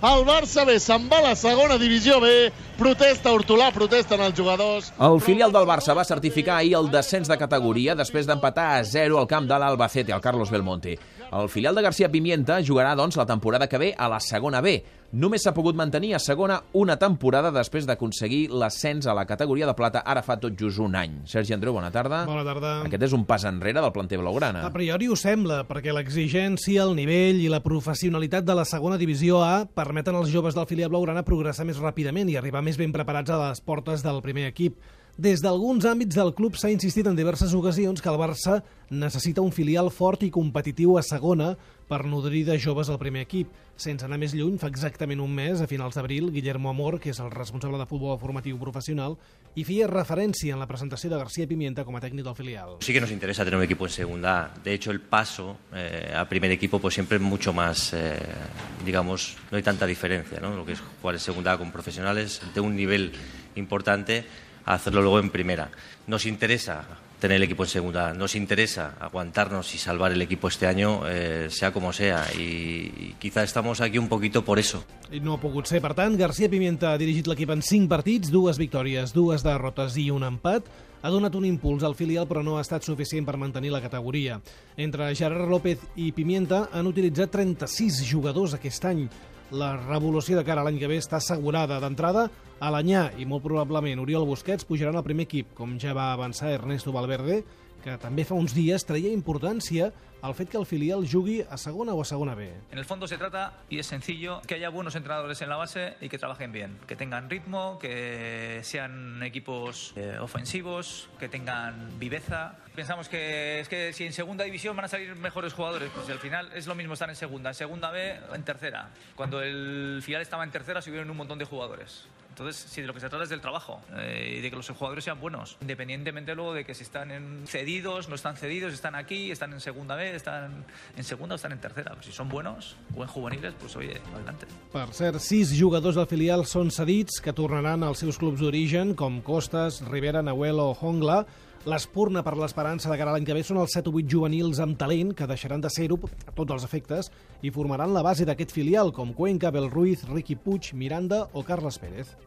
El Barça B se'n va a la segona divisió B, protesta Hortolà, protesten els jugadors. El filial del Barça va certificar ahir el descens de categoria després d'empatar a 0 al camp de l'Albacete, al Carlos Belmonte. El filial de García Pimienta jugarà, doncs, la temporada que ve a la segona B. Només s'ha pogut mantenir a segona una temporada després d'aconseguir l'ascens a la categoria de plata ara fa tot just un any. Sergi Andreu, bona tarda. Bona tarda. Aquest és un pas enrere del planter blaugrana. A priori ho sembla, perquè l'exigència, el nivell i la professionalitat de la segona divisió A permeten als joves del filial blaugrana progressar més ràpidament i arribar més ben preparats a les portes del primer equip. Des d'alguns àmbits del club s'ha insistit en diverses ocasions que el Barça necessita un filial fort i competitiu a segona per nodrir de joves al primer equip. Sense anar més lluny, fa exactament un mes, a finals d'abril, Guillermo Amor, que és el responsable de futbol formatiu professional, hi feia referència en la presentació de García Pimienta com a tècnic del filial. Sí que nos interesa tener un equipo en segunda A. De hecho, el paso a primer equipo pues siempre es mucho más, digamos, no hay tanta diferencia, ¿no? Lo que es jugar en segunda A con profesionales de un nivel importante a hacerlo luego en primera. Nos interesa tener el equipo en segunda, nos interesa aguantarnos y salvar el equipo este año, sea como sea, y quizá estamos aquí un poquito por eso. I no ha pogut ser, per tant, García Pimienta ha dirigit l'equip en 5 partits, 2 victòries, 2 derrotes i un empat. Ha donat un impuls al filial, però no ha estat suficient per mantenir la categoria. Entre Gerard López i Pimienta han utilitzat 36 jugadors aquest any. La revolució de cara a l'any que ve està assegurada. D'entrada, Alanyà i molt probablement Oriol Busquets pujaran al primer equip, com ja va avançar Ernesto Valverde, que també fa uns dies traia importància al fet que el filial jugui a segona o a segona B. En el fondo se trata, y es sencillo, que haya buenos entrenadores en la base y que trabajen bien, que tengan ritmo, que sean equipos ofensivos, que tengan viveza. Pensamos que es que si en segunda división van a salir mejores jugadores, pues al final es lo mismo estar en segunda B, en tercera. Cuando el filial estaba en tercera subieron un montón de jugadores. Entonces, si de lo que se trata es del trabajo y de que los jugadores sean buenos, independientemente luego de que si están cedidos, no están cedidos, están aquí, están en segunda B, están en segunda o están en tercera. Pues si son buenos o en juveniles, pues oye, adelante. Per cert, 6 jugadors del filial són cedits que tornaran als seus clubs d'origen, com Costas, Rivera, Nahuel o Hongla. L'espurna per l'esperança de cara a l'any que ve són els 7 o 8 juvenils amb talent que deixaran de ser-ho a tots els efectes i formaran la base d'aquest filial, com Cuenca, Bel Ruiz, Riqui Puig, Miranda o Carles Pérez.